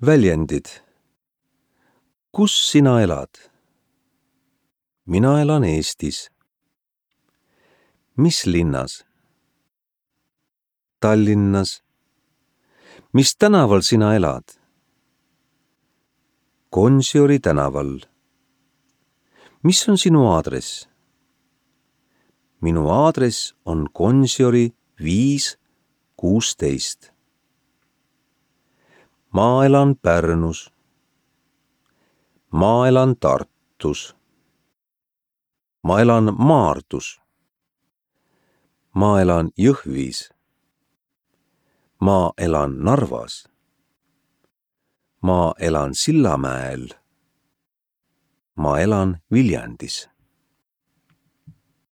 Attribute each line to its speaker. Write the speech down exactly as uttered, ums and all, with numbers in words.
Speaker 1: Väljendid. Kus sina elad? Mina elan Eestis. Mis linnas? Tallinnas. Mis tänaval sina elad? Gonsiori tänaval. Mis on sinu aadress? Minu aadress on Gonsiori viis kuusteist. Ma elan Pärnus. Ma elan Tartus. Ma elan Maardus. Ma elan Jõhvis. Ma elan Narvas. Ma elan Sillamäel. Ma elan Viljandis.